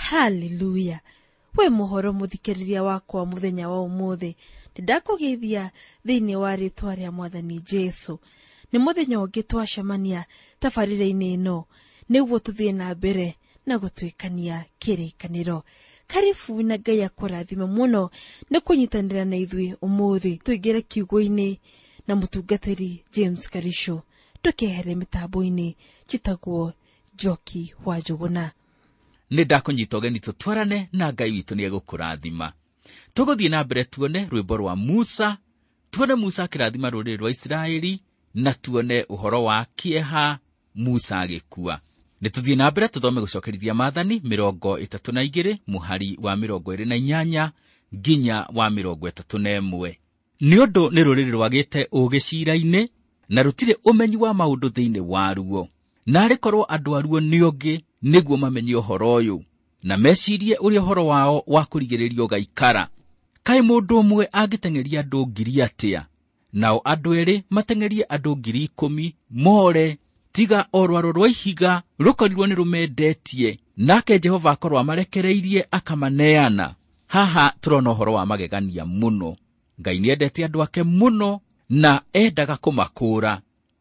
Haleluya! We mũhoro mũthikĩrĩria wakwa mũthenya wa ũmũthĩ, nĩndakũgeithia thĩinĩ wa rĩtwa rĩa Mwathani Jesu. Nĩ mũthenya ũngĩ twacemania tabarĩra-inĩ ĩno nĩguo tũthiĩ na mbere na gũtuĩkania kĩrĩkanĩro. Karibu na Ngai akũrathime mũno nĩ kũnyitanĩra na ithuĩ ũmũthĩ. Tũingĩre kiugo-inĩ na mũtungatĩri James Karisho. Ndũkehere mĩtambo-inĩ, njĩtagwo Njoki wa Njũgũna. Nĩ ndakũnyita ũgeni tũtwarane na Ngai witũ nĩ egũkũrathima. Tũgũthiĩ na mbere tuone rwĩmbo rwa Musa, tuone Musa akĩrathima rũrĩrĩ rwa Isiraeli, na tuone ũhoro wa kĩeha Musa agĩkua. Nĩ tũthiĩ na mbere tũthome gũcokerithia maathani 32 mũhari wa 28 nginya wa 31. Nĩ ũndũ nĩ rũrĩrĩ rwagĩte ũũgĩ ciira-inĩ, na rũtirĩ ũmenyi wa maũndũ thĩinĩ waruo. Naarĩ korwo andũ aruo nĩ ũngĩ nĩguo mamenye ũhoro ũyũ, na mecirie ũrĩa ũhoro wao wa kũrigĩrĩrio ũgaikara. Kaĩ mũndũ ũmwe angĩteng'eria andũ 1,000 atĩa, nao andũ erĩ mateng'erie andũ 10,000 more, tiga o rwaro rwa ihiga rũkorirwo nĩ rũmendetie, nake Jehova akorwo amarekereirie akamaneana. Haha tũrona ũhoro wa magegania mũno. Ngai nĩendete andũ ake mũno na endaga kũmakũũra,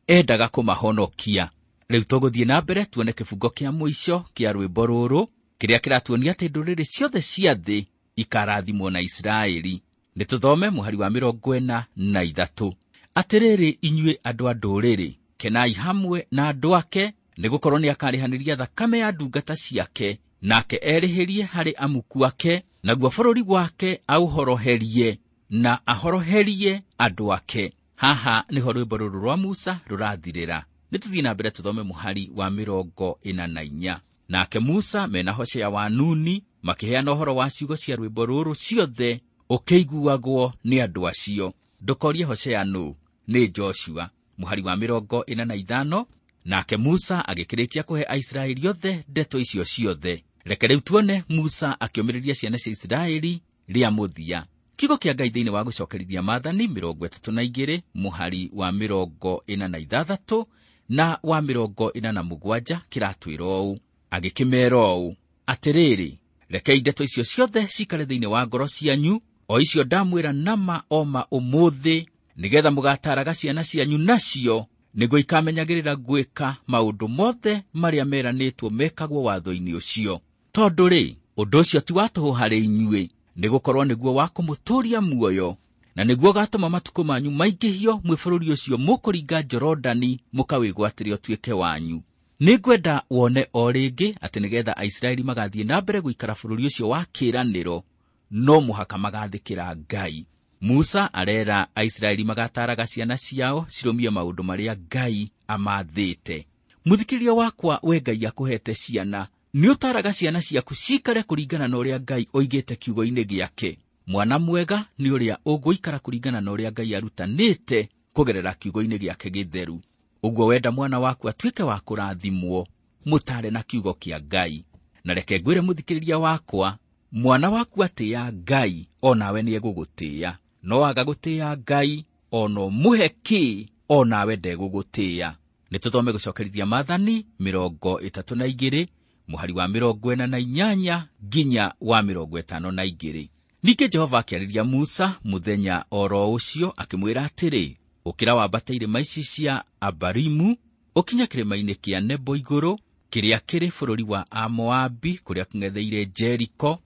endaga kũmahonokia. Rĩu tũgũthiĩ na mbere tuone kĩbungo kĩa mũico kĩa rwĩmbo rũrũ, kĩrĩa kĩratuonia atĩ ndũrĩrĩ ciothe cia thĩ ikarathimwo na Isiraeli. Nĩ tũthome mũhari wa 43. Atĩrĩrĩ inyuĩ andũ a ndũrĩrĩ, kenai hamwe na andũ ake, nĩgũkorwo nĩakarĩhanĩria thakame ya ndungata ciake, nake erĩhĩrie harĩ amuku ake, naguo bũrũri wake aũhoroherie na ahoroherie andũ ake. Haha nĩho rwĩmbo rũrũ rwa Musa rũrathirĩra. Nĩ tũthiĩ na mbere tũthome mũhari wa 44. Nake Musa mena Hoshea wa Nuni makĩheana ũhoro wa ciugo cia rwĩmbo rũrũ ciothe ũkĩiguagwo nĩ andũ acio. Ndũkorie Hoshea nũ, nĩ Joshua. Mũhari wa 45. Nake Musa agĩkĩrĩkia kũhe Aisiraeli othe ndeto icio ciothe. Reke rĩu tuone Musa akĩũmĩrĩria ciana cia Isiraeli rĩa mũthia. Kiugo kĩa Ngai thĩinĩ wa gũcokerithia maathani 32 mũhari wa 46 na wa 47 kĩratwĩra ũũ. Agĩkĩmeera ũũ, atĩrĩrĩ, rekei ndeto icio ciothe cikare thĩinĩ wa ngoro cianyu, o icio ndamwĩra nama oma ũmũthĩ, nĩgetha mũgataraga ciana cianyu nacio, nĩguo ikamenyagĩrĩra gwĩka maũndũ mothe marĩa meranĩtwo mekagwo watho-inĩ ũcio. Tondũ rĩ, ũndũ ũcio ti wa tũhũ harĩ inyuĩ, nĩgũkorwo nĩguo wa kũmũtũũria muoyo, na nĩguo ũgatũma matukũ manyu maingĩhio mwĩ bũrũri ũcio mũkũringa Jorodani mũkawĩgwatĩre ũtuĩke wanyu. Nĩngwenda wone o rĩngĩ atĩ nĩgetha Aisiraeli magathiĩ na mbere gũikara bũrũri ũcio wa kĩĩranĩro, no mũhaka magathĩkĩra Ngai. Musa arera Aisiraeli magataraga ciana ciao cirũmie maũndũ marĩa Ngai amathĩte. Mũthikĩrĩria wakwa, we Ngai akũhete ciana, nĩ ũtaraga ciana ciaku cikare kũringana na ũrĩa Ngai oigĩte kiugo-inĩ gĩake. Mwana mwega nĩ ũrĩa ũgũikara kũringana na ũrĩa Ngai arutanĩte kũgerera kiugo-inĩ gĩake gĩtheru. Ũguo wenda mwana waku atuĩke wa kũrathimwo, mũtare na kiugo kĩa Ngai. Na reke ngwĩre mũthikĩrĩria wakwa, mwana waku atĩĩa Ngai, o nawe nĩegũgũtĩĩa. No aga gũtĩĩa Ngai, o no mũhe kĩ, o nawe ndegũgũtĩĩa. Nĩ tũthome gũcokerithia maathani 32 mũhari wa 48 nginya wa 52. Ningĩ Jehova akĩarĩria Musa mũthenya oro ũcio akĩmwĩra atĩrĩ, ũkĩra wambate irĩma ici cia Abarimu, ũkinye kĩrĩma-inĩ kĩa Nebo igũrũ, kĩrĩa kĩrĩ bũrũri wa Amoabi, kũrĩa kũng'etheire Jeriko,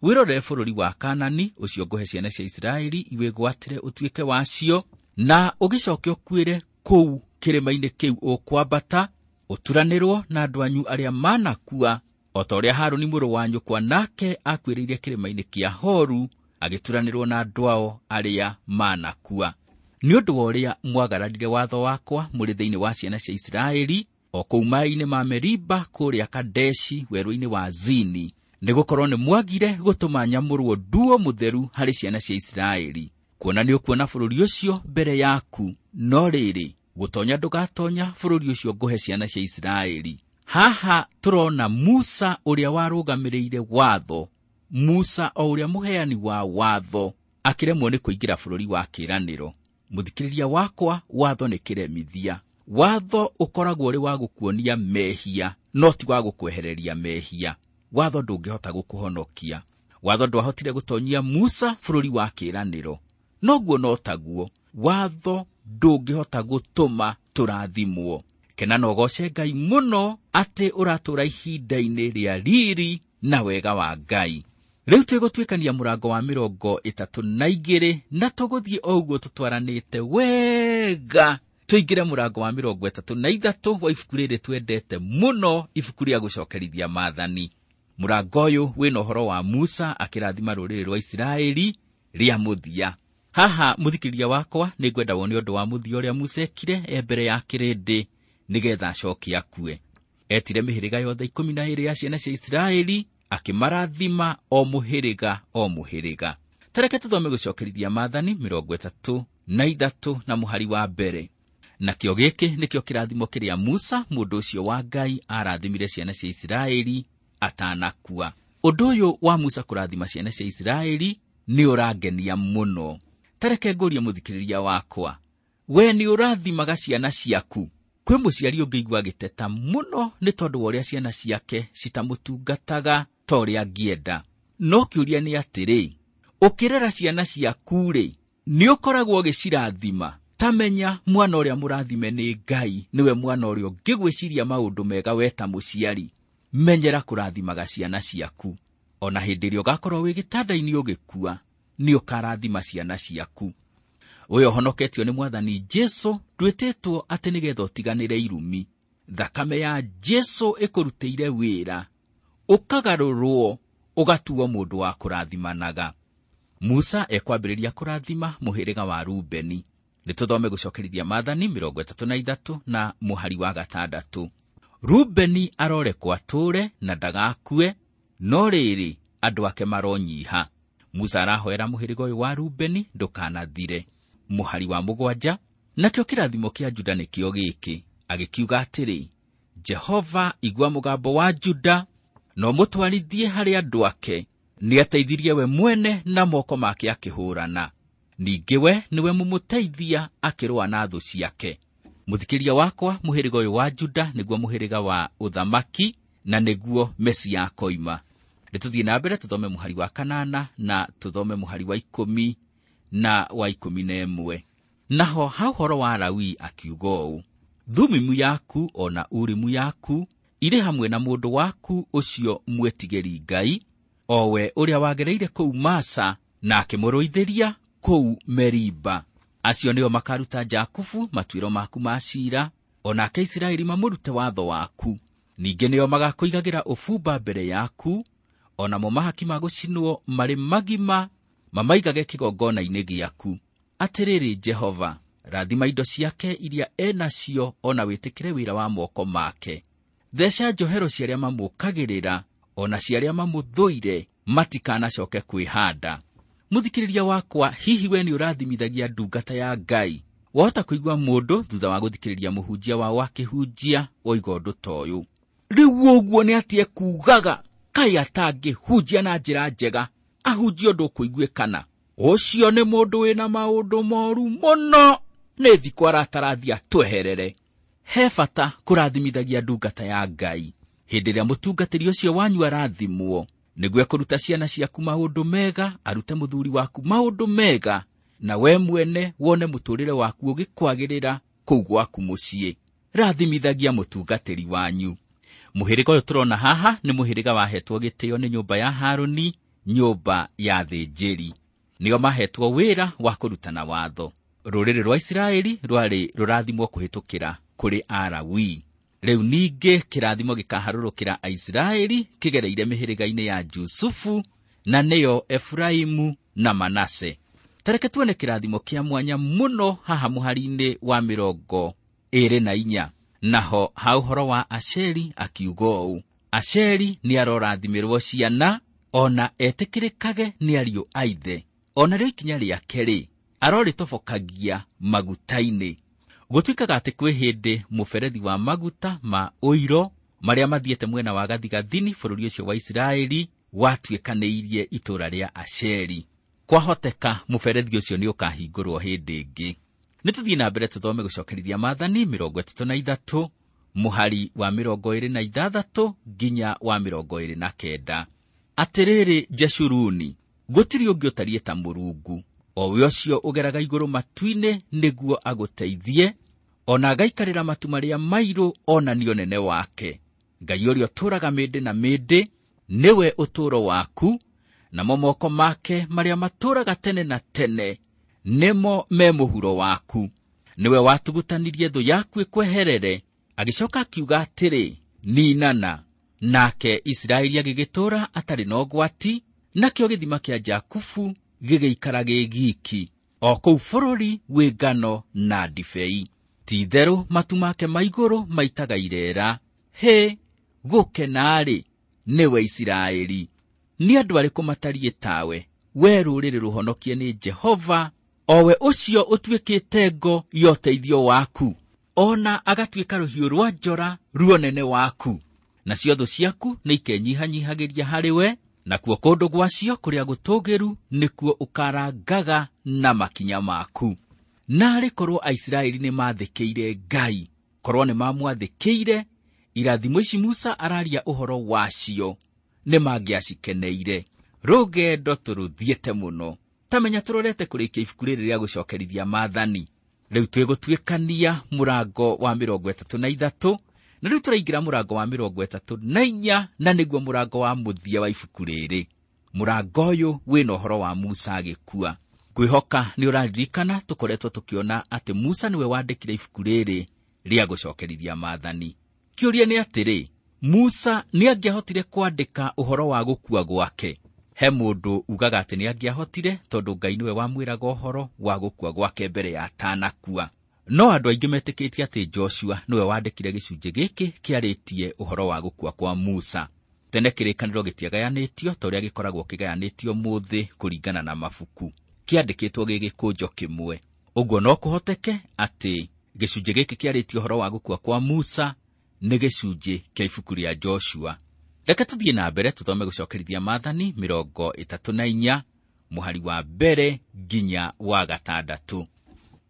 wĩrorere bũrũri wa Kanani, ũcio ngũhe ciana cia Isiraeli iwĩgwatĩre ũtuĩke wacio, na ũgĩcoke ũkuĩre kũu kĩrĩma-inĩ kĩu ũkwambata, ũturanĩrwo na andũ anyu arĩa manakua, o ta ũrĩa Harũni mũrũ wa nyũkwa nake akuĩrĩire kĩrĩma-inĩ kĩa Horu, agĩturanĩrwo na andũ ao arĩa manakua. Nĩ ũndũ wa ũrĩa mwagararire watho wakwa mũrĩ thĩinĩ wa ciana cia Isiraeli, o kũu maaĩ-inĩ ma Meriba kũrĩa Kadeshi werũ-inĩ wa Zini, nĩgũkorwo nĩ mwagire gũtũma nyamũrwo nduo mũtheru harĩ ciana cia Isiraeli. Kuona nĩ ũkuona bũrũri ũcio mbere yaku, no rĩrĩ, gũtonya ndũgatonya bũrũri ũcio ngũhe ciana cia Isiraeli. Haha tũrona Musa ũrĩa warũgamĩrĩire watho, Musa o ũrĩa mũheani wa watho, akĩremwo nĩ kũingĩra bũrũri wa kĩĩranĩro. Mũthikĩrĩria wakwa, watho nĩ kĩremithia. Watho ũkoragwo ũrĩ wa gũkuonia mehia, no ti wa gũkwehereria mehia. Watho ndũngĩhota gũkũhonokia. Watho ndwahotire gũtonyia Musa bũrũri wa kĩĩranĩro. Noguo no taguo watho ndũngĩhota gũtũma tũrathimwo. Kena na ũgoce Ngai mũno atĩ ũratũũra ihinda-inĩ rĩa riri na wega wa Ngai. Rĩu twĩgũtuĩkania mũrango wa 32 na tũgũthiĩ o ũguo tũtwaranĩte wega tũingĩre mũrango wa 33 wa ibuku rĩrĩ twendete mũno, ibuku rĩa gũcokerithia maathani. Mũrango ũyũ wĩna ũhoro wa Musa akĩrathima rũrĩrĩ rwa Isiraeli rĩa mũthia. Haha mũthikĩrĩria wakwa nĩngwenda wone ũndũ wa mũthia ũrĩa Musa ekire e mbere ya kĩrĩndĩ nĩgetha acoke akue. Etire mĩhĩrĩga yothe 12 ya ciana cia Isiraeli akĩmarathima o mũhĩrĩga o mũhĩrĩga. Tareke tũthome gũcokerithia maathani 33 na mũhari wa mbere. Nakĩo gĩkĩ nĩkĩo kĩrathimo kĩrĩa Musa mũndũ ũcio wa Ngai arathimire ciana cia Isiraeli atanakua. Ũndũ ũyũ wa Musa kũrathima ciana cia Isiraeli nĩ ũrangenia mũno. Tareke ngũrie mũthikĩrĩria wakwa, we nĩ ũrathimaga ciana ciaku? Kwĩ mũciari ũngĩigua agĩteta mũno nĩ tondũ wa ũrĩa ciana ciake citamũtungataga ta ũrĩa angĩenda. No kĩũria nĩ atĩrĩ, ũkĩrera ciana ciaku-rĩ, nĩ ũkoragwo ũgĩcirathima? Ta menya mwana ũrĩa mũrathime nĩ Ngai nĩwe mwana ũrĩa ũngĩgwĩciria maũndũ mega we ta mũciari. Menyera kũrathimaga ciana ciaku. Ona hĩndĩ ĩrĩa ũgakorwo wĩ gĩtanda-inĩ ũgĩkua, nĩ ũkarathima ciana ciaku. Ũyũ ũhonoketio nĩ Mwathani Jesũ ndwĩtĩtwo atĩ nĩgetha ũtiganĩre irumi. Thakame ya Jesũ ĩkũrutĩire wĩra, ũkagarũrwo ũgatuo mũndũ wa kũrathimanaga. Musa ekwambĩrĩria kũrathima mũhĩrĩga wa Rubeni. Nĩtũthome gũcokerithia maathani 33 na mũhari wa 6. Rubeni arorekwo atũũre na ndagakue, no rĩrĩ andũ ake maronyiha. Musa arahoera mũhĩrĩga ũyũ wa Rubeni ndũkanathire. Mũhari wa 7, nakĩo kĩrathimo kĩa Juda nĩkĩo gĩkĩ, agĩkiuga atĩrĩ, Jehova igua mũgambo wa Juda na ũmũtwarithie harĩ andũ ake. Nĩateithirie we mwene na moko make akĩhũũrana. Ningĩ we nĩwe mũmũteithia akĩrũa na thũ ciake. Mũthikĩria wakwa, mũhĩrĩga ũyũ wa Juda nĩguo mũhĩrĩga wa ũthamaki na nĩguo Mesia akoima. Nĩtũthiĩ na mbere tũthome mũhari wa 8 na tũthome mũhari wa 10 na wa 11. Naho ha ũhoro wa Lawi akiuga ũũ, Thumimu yaku ona Urimu yaku irĩ hamwe na mũndũ waku ũcio mwĩtigĩri Ngai, o we ũrĩa wagereire kũu Masa na akĩmũrũithĩria kũu Meriba. Acio nĩo makaruta Jakubu matuĩro maku ma ciira, o nake Isiraeli mamũrute watho waku. Ningĩ nĩo magakũigagĩra ũbumba mbere yaku, o namo mahaki ma gũcinwo marĩ magima mamaigage kĩgongona-inĩ gĩaku. Atĩrĩrĩ Jehova, rathima indo ciake iria enacio, ona wĩtĩkĩre wĩra wa moko make. Theca njohero cia arĩa mamũkagĩrĩra, ona cia arĩa mamũthũire, matikanacoke kwĩhanda. Mũthikĩrĩria wakwa, hihi we nĩ ũrathimithagia ndungata ya Ngai? Wahota kũigua mũndũ thutha wa gũthikĩrĩria mũhunjia wao akĩhunjia oiga ũndũ ta ũyũ, rĩu ũguo nĩ atĩ ekuugaga, kaĩ atangĩhunjia na njĩra njega, ahunjie ũndũ ũkũiguĩkana. Ũcio nĩ mũndũ wĩna maũndũ moru mũno, nĩ thikũ aratarathia tweherere. He bata kũrathimithagia ndungata ya Ngai. Hĩndĩ ĩrĩa mũtungatĩri ũcio wanyu arathimwo, nĩguo ekũruta ciana ciaku maũndũ mega, arute mũthuri waku maũndũ mega, na we mwene wone mũtũũrĩre waku ũgĩkwagĩrĩra kũu gwaku mũciĩ. Rathimithagia mũtungatĩri wanyu. Mũhĩrĩga ũyũ tũrona haha nĩ mũhĩrĩga wahetwo gĩtĩo nĩ nyũmba ya Harũni, nyũmba ya thĩnjĩri. Nĩo mahetwo wĩra wa kũrutana watho. Rũrĩrĩ rwa Isiraeli rwarĩ rũrathimwo kũhĩtũkĩra kũrĩ Alawii. Rĩu ningĩ kĩrathimo gĩkaharũrũkĩra Aisiraeli kĩgereire mĩhĩrĩga-inĩ ya Jusufu, na nĩyo Efraimu na Manase. Tareke tuone kĩrathimo kĩa mwanya mũno haha mũhari-inĩ wa 24. Naho ha ũhoro wa Asheri akiuga ũũ, Asheri nĩarorathimĩrwo ciana, ona etĩkĩrĩkage nĩ ariũ a ithe. Ona rĩo ikinya rĩake-rĩ, arorĩtobokagia maguta-inĩ. Gũtuĩkaga atĩ kwĩ hĩndĩ mũberethi wa maguta ma ũiro marĩa mathiĩte mwena wa gathigathini bũrũri ũcio wa Isiraeli watuĩkanĩirie itũũra rĩa Asheri. Kwahoteka mũberethi ũcio nĩ ũkahingũrwo hĩndĩ ĩngĩ. Nĩtũthiĩ na mbere tũthome gũcokerithia maathani 33 Mũhari wa 26 nginya wa 29. Atĩrĩrĩ Jeshuruni, gũtirĩ ũngĩ ũtariĩ ta Mũrungu, o we ũcio ũgeraga igũrũ matu-inĩ nĩguo agũteithie, ona agaikarĩra matu marĩa mairũ onanie ũnene wake. Ngai ũrĩa ũtũũraga mĩndĩ na mĩndĩ nĩwe ũtũũro waku, namo moko make marĩa matũũraga tene na tene nĩmo me mũhuro waku. Nĩwe watugutanirie thũ yaku ĩkweherere, agĩcoka akiuga atĩrĩ, ninana. Nake Isiraeli agĩgĩtũũra atarĩ na ũgwati, nakĩo gĩthima kĩa Jakubu gĩgĩikara gĩ giki, o kũu bũrũri wĩ ngano na ndibei. Ti-itherũ matu make ma igũrũ maitaga ireera. Hĩ, gũkena-rĩ, nĩwe Isiraeli! Nĩ andũ arĩkũ matariĩ tawe, we rũrĩrĩ rũhonokie nĩ Jehova, o we ũcio ũtuĩkĩte ngo ya ũteithio waku, ona agatuĩka rũhiũ rwa njora ruonene waku. Nacio thũ ciaku nĩ ikenyihanyiihagĩria harĩ we, nakuo kũndũ gwacio kũrĩa gũtũũgĩru nĩkuo ũkarangaga na makinya maku. Naarĩ korwo Aisiraeli nĩ maathĩkĩire Ngai, korwo nĩ mamwathĩkĩire, irathimo ici Musa araria ũhoro wacio nĩ mangĩacikeneire. Rũgendo tũrũthiĩte mũno. Ta menya tũrorete kũrĩkia ibuku rĩrĩ rĩa gũcokerithia maathani. Rĩu twĩgũtuĩkania mũrango wa 33, na rĩu tũraingĩra mũrango wa 34, na nĩguo mũrango wa mũthia wa ibuku rĩrĩ. Mũrango ũyũ wĩna ũhoro wa Musa agĩkua. Ngwĩhoka nĩ ũraririkana tũkoretwo tũkĩona atĩ Musa nĩwe wandĩkire ibuku rĩrĩ rĩa gũcokerithia maathani. Kĩũria nĩ atĩrĩ, Musa nĩ angĩahotire kwandĩka ũhoro wa gũkua gwake? He mũndũ ugaga atĩ nĩ angĩahotire tondũ Ngai nĩwe wamwĩraga ũhoro wa gũkua gwake mbere ya atanakua. No andũ aingĩ metĩkĩtie atĩ Joshua nĩwe wandĩkire gĩcunjĩ gĩkĩ kĩarĩtie ũhoro wa gũkua kwa Musa. Tene kĩrĩkanĩro gĩtiagayanĩtio ta ũrĩa gĩkoragwo kĩgayanĩtio mũthĩ kũringana na mabuku. Kĩandĩkĩtwo gĩ gĩkũnjo kĩmwe. Ũguo no kũhoteke atĩ gĩcunjĩ gĩkĩ kĩarĩtie ũhoro wa gũkua kwa Musa nĩ gĩcunjĩ kĩa ibuku rĩa Joshua. Reke tũthiĩ na mbere tũthome gũcokerithia maathani 34 mũhari wa 1 nginya wa 6.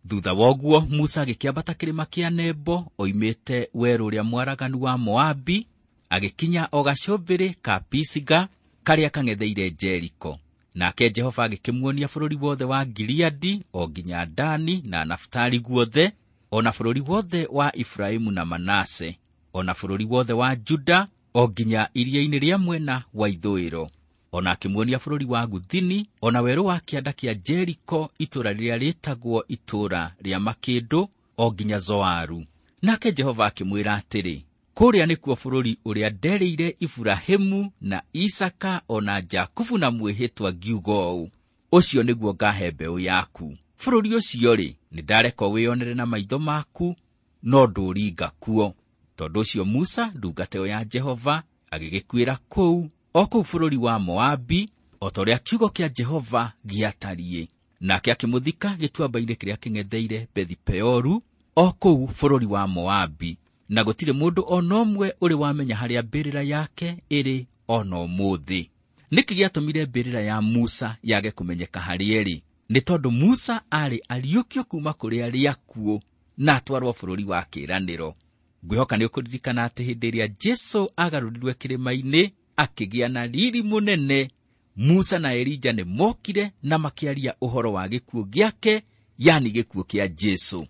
Thutha wa ũguo Musa agĩkĩambata kĩrĩma kĩa Nebo oimĩte werũ ũrĩa mwaraganu wa Moabi, agĩkinya o gacũmbĩrĩ ka Pisiga karĩa kang'etheire Jeriko. Nake Jehova agĩkĩmuonia bũrũri wothe wa Gileadi o nginya Dani na Naftali guothe, o na bũrũri wothe wa Efraimu na Manase, o na bũrũri wothe wa Juda o nginya iria-inĩ rĩa mwena wa ithũĩro. O na akĩmuonia bũrũri wa Guthini, o na werũ wa kĩanda kĩa Jeriko, itũũra rĩrĩa rĩtagwo itũũra rĩa makĩndũ, o nginya Zoaru. Nake Jehova akĩmwĩra atĩrĩ, kũrĩa nĩkuo bũrũri ũrĩa nderĩire Iburahĩmu na Isaka o na Jakubu na mwĩhĩtwa ngiuga ũũ, ũcio nĩguo ngahe mbeũ yaku. Bũrũri ũcio-rĩ, nĩndareka wĩonere na maitho maku, no ndũringa kuo. Tondũ ũcio Musa ndungata ĩyo ya Jehova agĩgĩkuĩra kũu, o kũu bũrũri wa Moabi, o ta ũrĩa kiugo kĩa Jehova gĩatariĩ. Nake akĩmũthika gĩtuamba-inĩ kĩrĩa kĩng'etheire Bethi-Peoru, o kũu bũrũri wa Moabi, na gũtirĩ mũndũ o na ũmwe ũrĩ wamenya harĩa mbĩrĩra yake ĩrĩ o na ũmũthĩ. Nĩkĩ gĩatũmire mbĩrĩra ya Musa yage kũmenyeka harĩa ĩrĩ? Nĩ tondũ Musa aarĩ ariũkio kuuma kũrĩ arĩa akuũ na atwarwo bũrũri wa kĩĩranĩro. Ngwĩhoka nĩ ũkũririkana atĩ hĩndĩ ĩrĩa Jesũ agarũrirwe kĩrĩma-inĩ akĩgĩa na riri mũnene, Musa na Elija nĩ mokire na makĩaria ũhoro wa gĩkuũ gĩake, yani gĩkuũ kĩa Jesũ.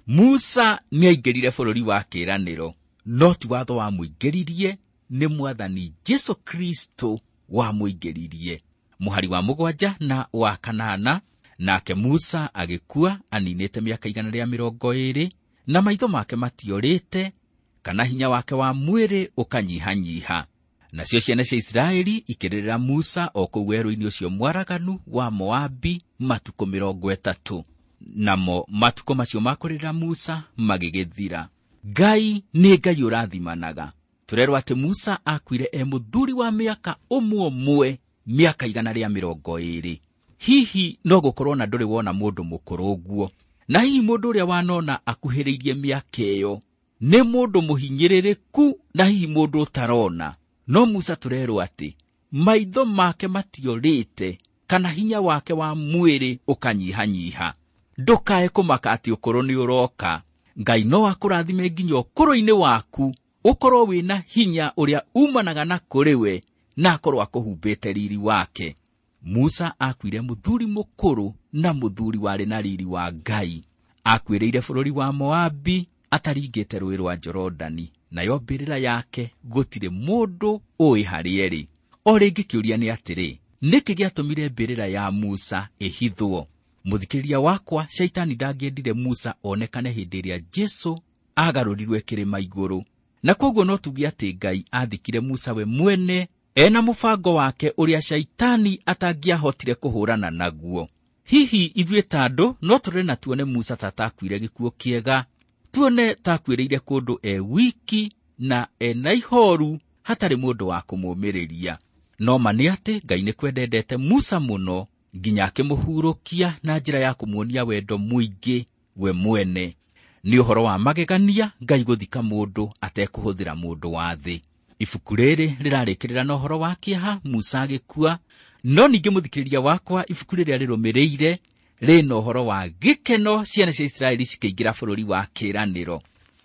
Musa nĩaingĩrire bũrũri wa kĩĩranĩro, no ti watho wamũingĩririe, nĩ Mwathani Jesũ Kristo wamũingĩririe. Mũhari wa 7 na wa 8, nake Musa agĩkua aninĩte mĩaka 120, na maitho make matiorĩte, kana hinya wake wa mwĩrĩ ũkanyihanyiha. Nacio ciana cia Isiraeli ikĩrĩrĩra Musa o kũu werũ-inĩ ũcio mwaraganu wa Moabi matukũ 30. Namo matukũ macio ma kũrĩrĩra Musa magĩgĩthira. Ngai nĩ Ngai ũrathimanaga. Tũrerwo atĩ Musa akuire e mũthuri wa mĩaka 100, mĩaka 120. Hihi no gũkorwo na ndũrĩ wona mũndũ mũkũrũ ũguo, na hihi mũndũ ũrĩa wanona akuhĩrĩirie mĩaka ĩyo nĩ mũndũ mũhinyĩrĩrĩku na hihi mũndũ ũtarona. No Musa tũrerwo atĩ maitho make matiorĩte, kana hinya wake wa mwĩrĩ ũkanyihanyiha. Ndũkae kũmaka atĩ ũkũrũ nĩ ũroka. Ngai no akũrathime nginya ũkũrũ-inĩ waku, ũkorwo wĩna hinya ũrĩa umanaga na kũrĩ we, na akorwo akũhumbĩte riri wake. Musa akuire mũthuri mũkũrũ na mũthuri warĩ na riri wa Ngai. Akuĩrĩire bũrũri wa Moabi ataringĩte rũĩ rwa Jorodani, nayo mbĩrĩra yake gũtirĩ mũndũ ũĩ harĩa ĩrĩ. O rĩngĩ kĩũria nĩ atĩrĩ, nĩkĩ gĩatũmire mbĩrĩra ya Musa ĩhithwo? Mũthikĩrĩria wakwa, Shaitani ndangĩendire Musa onekane hĩndĩ ĩrĩa Jesũ agarũrirwe kĩrĩma igũrũ. Na koguo no tuge atĩ Ngai athikire Musa we mwene ena mũbango wake ũrĩa Shaitani atangĩahotire kũhũrana naguo. Hihi ithuĩ ta andũ no tũrore na tuone Musa ta atakuire gĩkuũ kĩega, tuone ta akuĩrĩire kũndũ e wiki na ena ihoru hatarĩ mũndũ wa kũmũmĩrĩria. No ma nĩ atĩ Ngai nĩ kwendendete Musa mũno nginya akĩmũhurũkia na njĩra ya kũmuonia wendo mũingĩ we mwene. Nĩ ũhoro wa magegania Ngai gũthika mũndũ atekũhũthĩra mũndũ wa thĩ. Ibuku rĩrĩ rĩrarĩkĩrĩra na ũhoro wa kĩeha Musa agĩkua, no ningĩ mũthikĩrĩria wakwa, ibuku rĩrĩa rĩrũmĩrĩire rĩna ũhoro wa gĩkeno ciana cia Isiraeli cikĩingĩra bũrũri wa kĩĩranĩro.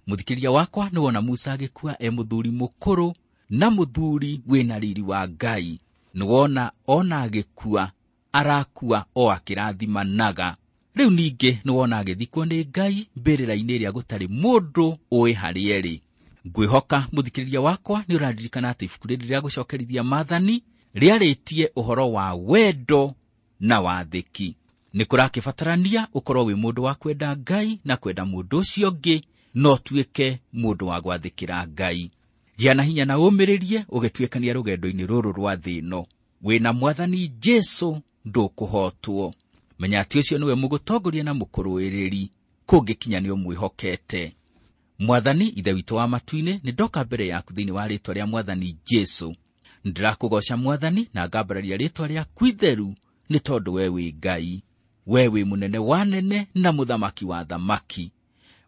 Mũthikĩrĩria wakwa, nĩ wona Musa agĩkua e mũthuri mũkũrũ na mũthuri wĩna riri wa Ngai. Nĩ wona ona agĩkua arakua o akĩrathimanaga. Rĩu ningĩ nĩ wona agĩthikwo nĩ Ngai mbĩrĩra-inĩ ĩrĩa gũtarĩ mũndũ ũĩ harĩa ĩrĩ. Ngwĩhoka mũthikĩrĩria wakwa nĩ ũraririkana atĩ ibuku rĩrĩ rĩa gũcokerithia maathani rĩarĩtie ũhoro wa wendo na wathĩki. Nĩ kũrakĩbatarania ũkorwo wĩ mũndũ wa kwenda Ngai na kwenda mũndũ ũcio ũngĩ, no ũtuĩke mũndũ wa gwathĩkĩra Ngai. Gĩa na hinya na ũmĩrĩrie ũgĩtuĩkania rũgendo-inĩ rũrũ rwa thĩ ĩno. Wĩna Mwathani Jesũ ndũkũhotwo. Menya atĩ ũcio nĩwe mũgũtongoria na mũkũrũĩrĩri, kũngĩkinya nĩ ũmwĩhokete. Mwathani Ithe witũ wa matu-inĩ, nĩ ndoka mbere yaku thĩinĩ wa rĩĩtwa rĩa Mwathani Jesũ. Nĩndĩrakũgooca Mwathani na ngambararia rĩĩtwa rĩaku itheru, nĩ tondũ we wĩ Ngai. We wĩ mũnene wa nene na mũthamaki wa thamaki.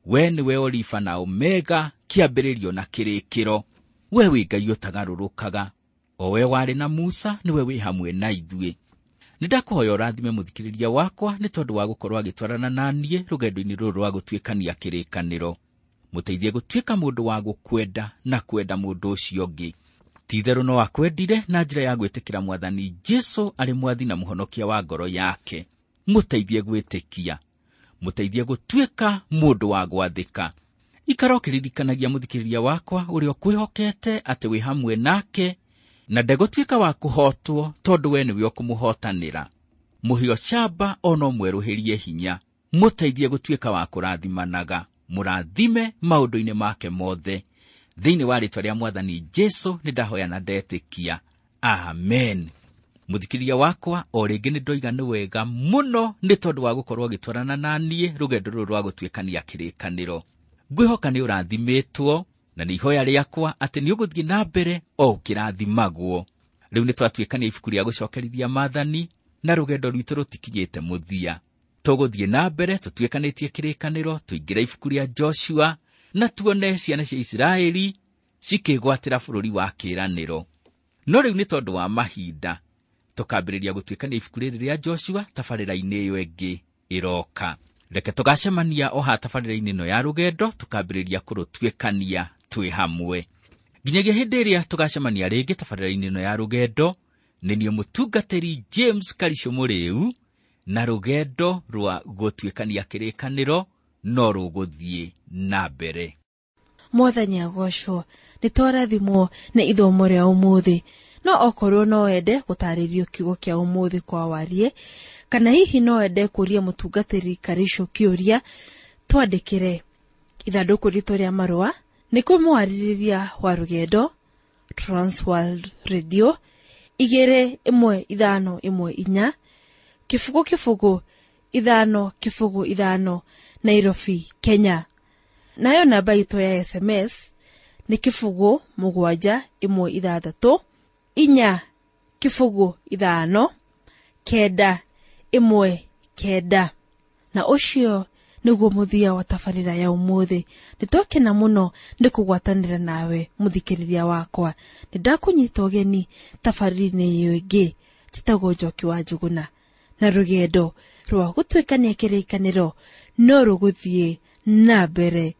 We nĩwe Olifa na Omega, kĩambĩrĩrio na kĩrĩkĩro. We wĩ Ngai ũtagarũrũkaga. O we warĩ na Musa, nĩwe wĩ hamwe na ithuĩ. Nĩndakũhoya ũrathime mũthikĩrĩria wakwa nĩ tondũ wa gũkorwo agĩtwarana na niĩ rũgendo-inĩ rũrũ rwa gũtuĩkania kĩrĩkanĩro. Mũteithie gũtuĩka mũndũ wa gũkwenda na kwenda mũndũ ũcio ũngĩ. Ti-itherũ no akwendire na njĩra ya gwĩtĩkĩra Mwathani Jesũ arĩ mwathi na mũhonokia wa ngoro yake. Mũteithie gwĩtĩkia. Mũteithie gũtuĩka mũndũ wa gwathĩka. Ikara ũkĩririkanagia mũthikĩrĩria wakwa ũrĩa ũkwĩhokete atĩ wĩ hamwe nake, na ndegũtuĩka wa kũhotwo tondũ we nĩwe ũkũmũhotanĩra. Mũhio camba ona ũmwerũhĩrie hinya. Mũteithie gũtuĩka wa kũrathimanaga. Mũrathime maũndũ-inĩ make mothe. Thĩinĩ wa rĩĩtwa rĩa Mwathani Jesũ nĩndahoya na ndetĩkia. Amen. Mũthikĩrĩria wakwa, o rĩngĩ nĩndoiga nĩ wega mũno nĩ tondũ wa gũkorwo ũgĩtwarana na niĩ rũgendo rũrũ rwa gũtuĩkania kĩrĩkanĩro. Ngwĩhoka nĩ ũrathimĩtwo, na nĩ ihoya rĩakwa atĩ nĩ ũgũthiĩ na mbere o ũkĩrathimagwo. Rĩu nĩtwatuĩkania ibuku rĩa gũcokerithia maathani, na rũgendo rwitũ rũtikinyĩte mũthia. Tũgũthiĩ na mbere tũtuĩkanĩtie kĩrĩkanĩro, tũingĩre ibuku rĩa Joshua, na tuone ciana cia Isiraeli cikĩgwatĩra bũrũri wa kĩĩranĩro. No rĩu nĩ tondũ wa mahinda, tũkambĩrĩria gũtuĩkania ibuku rĩrĩ rĩa Joshua tabarĩra-inĩ ĩyo ĩngĩ ĩroka. Reke tũgacemania o haha tabarĩra-inĩ ĩno ya rũgendo, tũkambĩrĩria kũrũtuĩkania twĩ hamwe. Nginyagia hĩndĩ ĩrĩa tũgacemania rĩngĩ tabarĩra-inĩ ĩno ya rũgendo, nĩ niĩ mũtungatĩri James Karisho Mũrĩu, na rũgendo rwa gũtuĩkania kĩrĩkanĩro no rũgũthiĩ na mbere. Mwathani agocwo, nĩ twarathimwo nĩ ithomo rĩa ũmũthĩ. No okorwo no wende gũtarĩrio kiugo kĩa ũmũthĩ kwa warie, kana hihi no wende kũria mũtungatĩri Karisho kĩũria, twandĩkĩre. Ithandũkũ ritũ rĩa marũa nĩ kũmwarĩrĩria wa rũgendo, Transworld Radio, 21514, 0 0 5 0 5, Nairobi, Kenya. Nayo namba itũ ya SMS nĩ 0 7 1 6 4 0 5 9 1 9. Na ũcio nĩguo mũthia wa tabarĩra ya ũmũthĩ. Nĩtwakena mũno nĩ kũgwatanĩra nawe mũthikĩrĩria wakwa. Nĩndakũnyita ũgeni tabarĩra-inĩ ĩyo ĩngĩ. Njĩtagwo Njoki wa Njũgũna, na rũgendo rwa gũtuĩkania kĩrĩkanĩro no rũgũthiĩ Na mbere.